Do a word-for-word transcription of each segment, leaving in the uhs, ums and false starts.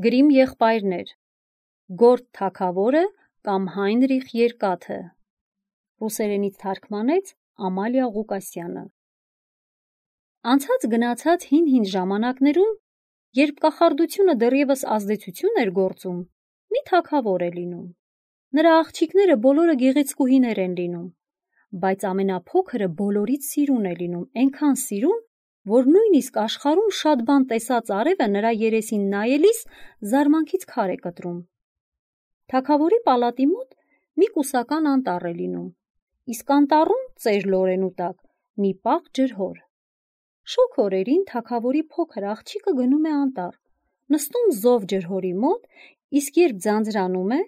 Գրիմ եղբայրներ, Գորտ թագավորը կամ Հայնրիխ Երկաթը, ռուսերենից թարգմանեց Ամալիա Ղուկասյանը։ Անցած գնացած հին-հին ժամանակներում, երբ կախարդությունը դեռևս ազդեցություն էր գործում, մի թագավոր է լինում։ Նրա աղջիկները բոլորը գեղեցկուհիներ են լինում, բայց ամենափոքրը բոլորից սիրուն է լինում, այնքան սիրուն, որ նույնիսկ աշխարհում շատ բան տեսած արևը նրա երեսին նայելիս զարմանքից քար է կտրում։ Թագավորի պալատի մոտ մի կուսական անտառ է լինում, իսկ անտառում ծեր լորենու տակ մի պաղ ջրհոր։ Շոգ օրերին թագավորի փոքր աղջիկը գնում է անտառ, նստում զով ջրհորի մոտ, իսկ երբ ձանձրանում է,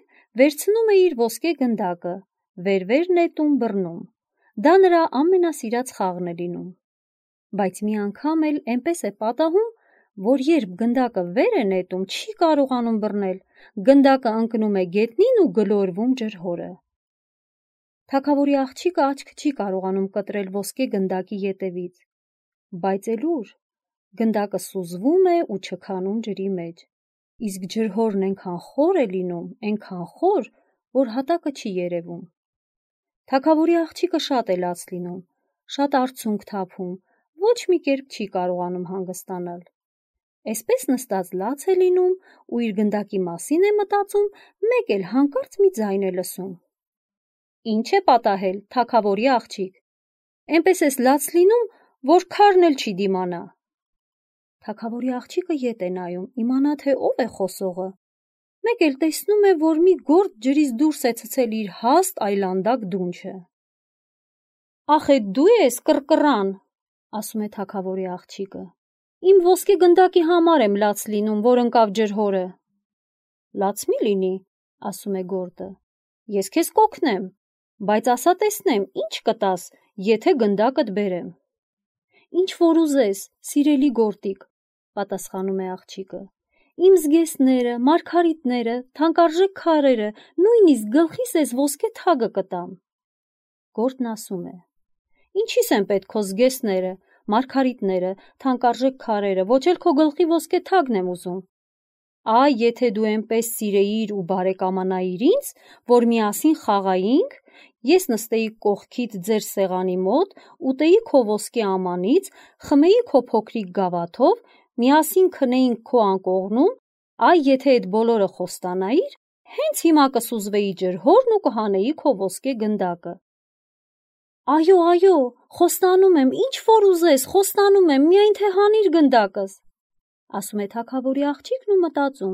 վերցնում է իր ոսկե գնդակը, վեր-վեր նետում բռնում։ Դա նրա ամենասիրած խաղն է լինում։ Բայց մի անգամ էլ այնպես է պատահում, որ երբ գնդակը վեր է նետում, չի կարողանում բռնել, գնդակը ընկնում է գետնին ու գլորվում ջրհորը։ Թագավորի աղջիկը աչք չի կարողանում կտրել ոսկե գնդակի ետևից, բայց էլ ուր, գնդակը սուզվում է ու չքանում ջրի մեջ, իսկ ջրհորն այնքան խոր է լինում, այնքան խոր, որ հատակը չի երևում։ Թագավորի աղջիկը շատ է լաց լինում, շատ արցունք թափում, ոչ մի կերպ չի կարողանում հանգստանալ։ Այսպես նստած լաց է լինում ու իր գնդակի մասին է մտածում, մեկ էլ հանկարծ մի ձայն է լսում։ Ինչ է պատահել, թագավորի աղջիկ, այնպես ես լաց լինում, որ քարն էլ չի դիմանա։ Թագավորի աղջիկը ետ է նայում, իմանա թե ով է խոսողը, մեկ էլ տեսնում է, որ մի գործ ջրից դուրս է ցցել իր հաստ այլանդակ դունչը։ Ախ, էդ դու ես, կռկռան, ասում է թագավորի աղջիկը։ Իմ ոսկե գնդակի համար եմ լաց լինում, որ ընկավ ջրհորը։ Լաց մի լինի, ասում է գորտը, ես քեզ կօգնեմ, բայց ասա տեսնեմ, ինչ կտաս, եթե գնդակդ բերեմ։ Ինչ որ ուզես, սիրելի գորտիկ, պատասխանում է աղջիկը։ Իմ զգեստները, մարգարիտները, թանկարժեք քարերը, նույնիսկ գլխիս ես ոսկե թագը կտամ։ Գորտն ասում է. Ինչի՞ս են պետք քո զգեստները, մարգարիտները, թանկարժեք քարերը, ոչ էլ քո գլխի ոսկե թագն եմ ուզում։ Այ, եթե դու այնպես սիրեիր ու բարեկամանայիր ինձ, որ միասին խաղայինք, ես նստեի կողքիդ ձեր սեղանի մոտ, ուտեի քո ոսկե ամանից, խմեի քո փոքրիկ գավաթով, միասին քնեինք քո անկողնում, այ, եթե այդ բոլորը խոստանայիր, հենց հիմա կսուզվեի ջրհորն ու կհանեի քո ոսկե գնդակը։ Այո, այո, խոստանում եմ, ինչ որ ուզես, խոստանում եմ, միայն թե հանիր գնդակս, ասում է թագավորի աղջիկն ու մտածում.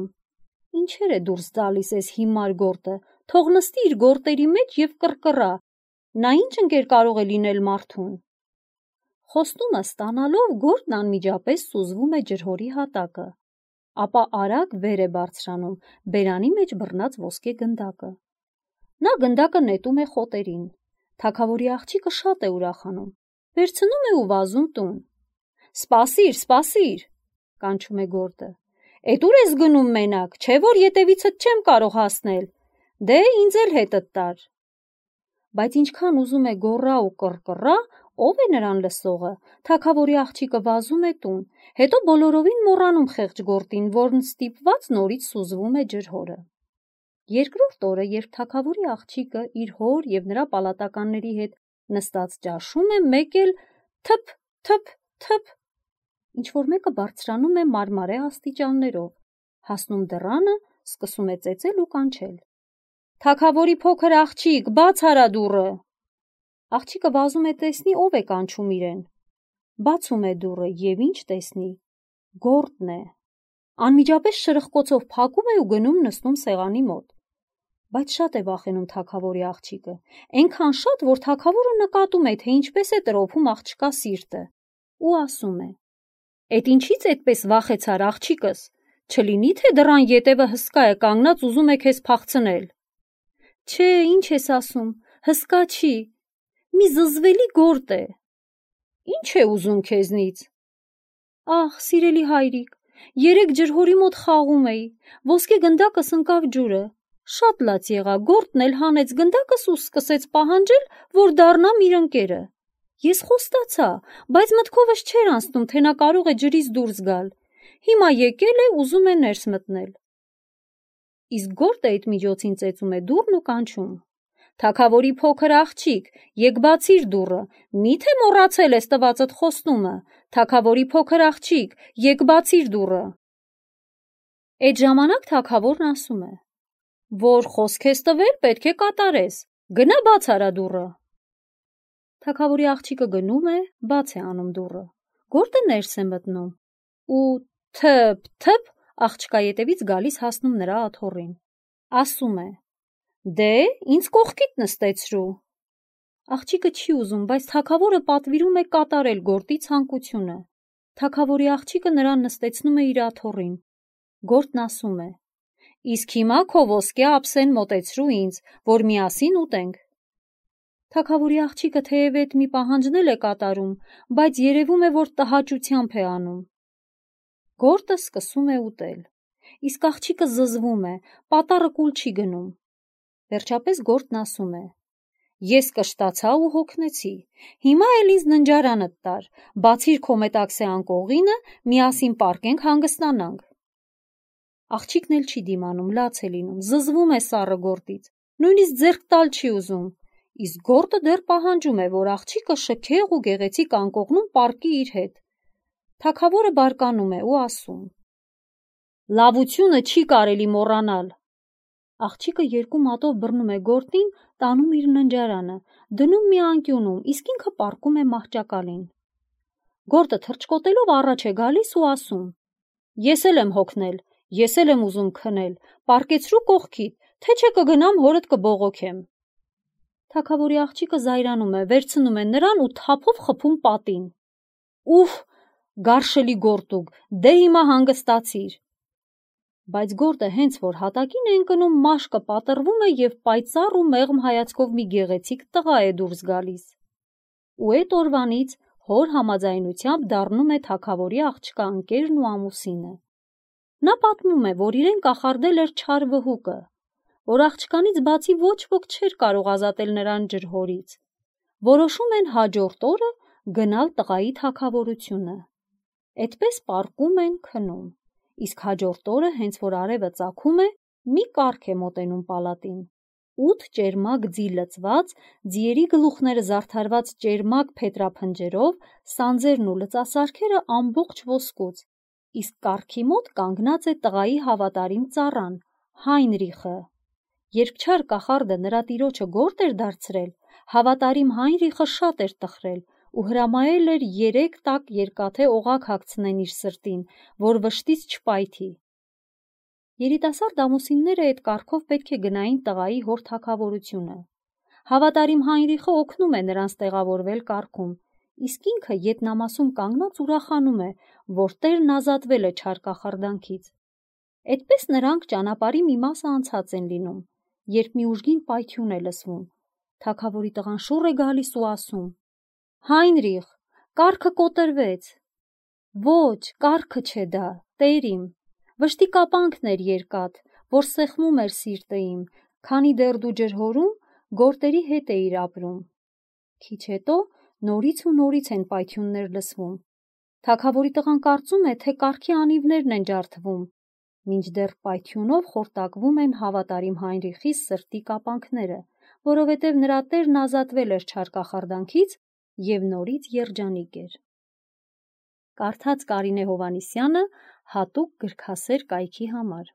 Ինչեր է դուրս տալիս էս հիմար գորտը, թող նստի իր գորտերի մեջ և կռկռա, նա ինչ ընկեր կարող է լինել մարդուն։ Խոստումը ստանալով գորտն անմիջապես սուզվում է ջրհորի հատակը, ապա արագ վեր է բարձրանում բերանի մեջ բռնած ոսկե գնդակը։ Նա գնդակը նետում է խոտերին։ Թագավորի աղջիկը շատ է ուրախանում, վերցնում է ու վազում տուն։ Սպասիր, սպասիր, կանչում է գորտը։ Էդ ուր ես գնում մենակ, չէ որ ետևիցդ չեմ կարող հասնել, դե ինձ էլ հետդ տար։ Բայց ինչքան ուզում է գոռա ու կռկռա, ով է նրան լսողը, թագավորի աղջիկը վազում է տուն, հետո բոլորովին մոռանում խեղճ գորտին, որն ստիպված նորից սուզվում է ջրհորը։ Երկրորդ օրը, երբ թագավորի աղջիկը իր հոր և նրա պալատականների հետ նստած ճաշում է, մեկ էլ թփ, թփ, թփ, ինչ-որ մեկը բարձրանում է մարմարե աստիճաններով, հասնում դռանը, սկսում է ծեծել ու կանչել. Թագավորի փոքր աղջիկ, բաց արա դուռը։ Աղջիկը վազում է տեսնի, ով է կանչում իրեն։ Բացում է դուռը և ինչ տեսնի, գորտն է։ Անմիջապես շրխկոցով փակում է ու գնում նստում սեղանի մոտ։ Բայց շատ է վախենում թագավորի աղջիկը, այնքան շատ, որ թագավորը նկատում է, թե ինչպես է տրոփում աղջկա սիրտը, ու ասում է. Էդ ինչից այդպես վախեցար աղջիկս, չլինի թե դռան ետևը հսկա է կանգնած ուզում է քեզ փախցնել։ Չէ, ինչ ես ասում, հսկա չի, մի զզվելի գորտ է։ Ինչ է ուզում քեզնից։ Ահ, սիրելի հայրիկ, երեկ ջրհորի մոտ խաղում էի, ոսկե գնդակս ընկավ ջուրը, շատ լաց եղա, գորտն էլ հանեց գնդակս ու սկսեց պահանջել, որ դառնամ իր ընկերը։ Ես խոստացա, բայց մտքովս չէր անցնում, թե նա կարող է ջրից դուրս գալ։ Հիմա եկել է, ուզում է ներս մտնել։ իսկ Գորտը այդ միջոցին ծեծում է դուռն ու կանչում. «Թագավորի փոքր աղջիկ, եկ բացիր դուռը, մի՞թե մոռացել ես տվածդ խոստումը, թագավորի փոքր աղջիկ, եկ բացիր դուռը»։ Այդ ժամանակ թագավորն ասում է. «Որ խոսք ես տվել, պետք է կատարես, գնա բաց արա դուռը»։ Թագավորի աղջիկը գնում է, բաց է անում դուռը, Գորտը ներս է մտնում ու թփ-թփ աղջկա ետևից գալիս հասնում նրա աթոռին, ասում է. «Դե, ինձ կողքիդ նստեցրու»։ Աղջիկը չի ուզում, բայց թագավորը պատվիրում է կատարել Գորտի ցանկությունը։ Թագավորի աղջիկը նրան նստեցնում է իր աթոռին։ Գորտն ասում է. «Իսկ հիմա քո ոսկե ափսեն մոտեցրու ինձ, որ միասին ուտենք»։ Թագավորի աղջիկը թեև էդ մի պահանջն էլ է կատարում, բայց երևում է, որ տհաճությամբ է անում։ Գորտը սկսում է ուտել, իսկ աղջիկը զզվում է, պատառը կուլ չի գնում։ Վերջապես Գորտն ասում է. «Ես կշտացա ու հոգնեցի, հիմա էլ ինձ ննջարանդ տար, բացիր քո մետաքսե անկողինը, միասին պառկենք հանգստանանք»։ Աղջիկն էլ չի դիմանում, լաց է լինում, զզվում է սառը Գորտից, նույնիսկ ձեռք տալ չի ուզում, իսկ Գորտը դեռ պահանջում է, որ աղջիկը շքեղ ու գեղեցիկ անկողնում պառկի իր հետ։ Թագավորը բարկանում է ու ասում. «Լավությունը չի կարելի մոռանալ»։ Աղջիկը երկու մատով բռնում է Գորտին, տանում իր ննջարանը, դնում մի անկյունում, իսկ ինքը պառկում է մահճակալին։ Գորտը թռչկոտելով առաջ է գալիս ու ասում. «Ես էլ եմ հոգնել, ես էլ եմ ուզում քնել, պառկեցրու կողքիդ, թե չէ կգնամ հորդ կբողոքեմ»։ Թագավորի աղջիկը զայրանում է, վերցնում է նրան ու թափով խփում պատին։ «Ուֆ, գարշելի Գորտուկ, դե հիմա հանգստացիր»։ Բայց Գորտը հենց որ հատակին է ընկնում, մաշկը պատռվում է և պայծառ ու մեղմ հայացքով մի գեղեցիկ տղա է դուրս գալիս։ Ու էդ օրվանից հոր համաձայնությամբ դառնում է թագավորի աղջկա ընկերն ու ամուսինը։ Նա պատմում է, որ իրեն կախարդել էր չար վհուկը, որ աղջկանից բացի ոչ ոք չէր կարող ազատել նրան ջրհորից։ Որոշում են հաջորդ օրը գնալ տղայի թագավորությունը։ Էդպես պառկում են, քնում, իսկ հաջորդ օրը, հենց որ արևը ծագում է, մի կառք է մոտենում պալատին։ Ութ ճերմակ ձի լցված, ձիերի գլուխները զարդարված ճերմակ փետրափնջերով, սանձերն ու լծասարքերը ամբողջ ոսկուց, իսկ կառքի մոտ կանգնած է տղայի հավատարիմ ծառան՝ Հայնրիխը։ Երբ չար կախարդը նրա տիրոջը Գորտ էր դարձրել, հավատարիմ Հայնրիխը շատ էր տխրել ու հրամայել էր երեք տաք երկաթե օղակ հագցնեն իր սրտին, որ վշտից չպայթի։ Երիտասարդ ամուսինները այդ կառքով պետք է գնային տղայի հոր թագավորությունը։ Հավատարիմ Հայնրիխը օգնում է նրանց տեղավորվել կառքում, իսկ ինքը ետնամասում կանգնած ուրախանում է, որ տերն ազատվել է չար կախարդանքից։ Էդպես նրանք ճանապարհի մի մասը անցած են լինում, երբ մի ուժգին պայթյուն է լսվում։ Թագավորի տղան շուռ է գալիս ու ասում. «Հայնրիխ, կառքը կոտրվեց»։ «Ոչ, կառքը չէ դա, տեր իմ, վշտի կապանքն էր երկաթ, որ սեղմում էր սիրտը իմ, քանի դեռ դու ջրհորում գորտերի հետ էիր ապրում»։ Քիչ հետո նորից ու նորից են պայթյուններ լսվում։ Թագավորի տղան կարծում է, թե կառքի անիվներն են ջարդվում, մինչդեռ պայթյունով խորտակվում են հավատարիմ Հայնրիխի սրտի կապանքները, որովհետև նրա տերն ազատվել էր չար կախարդանքից և նորից երջանիկ էր։ Կարդաց Կարինե Հովհաննիսյանը հատուկ գրքասեր կայքի համար։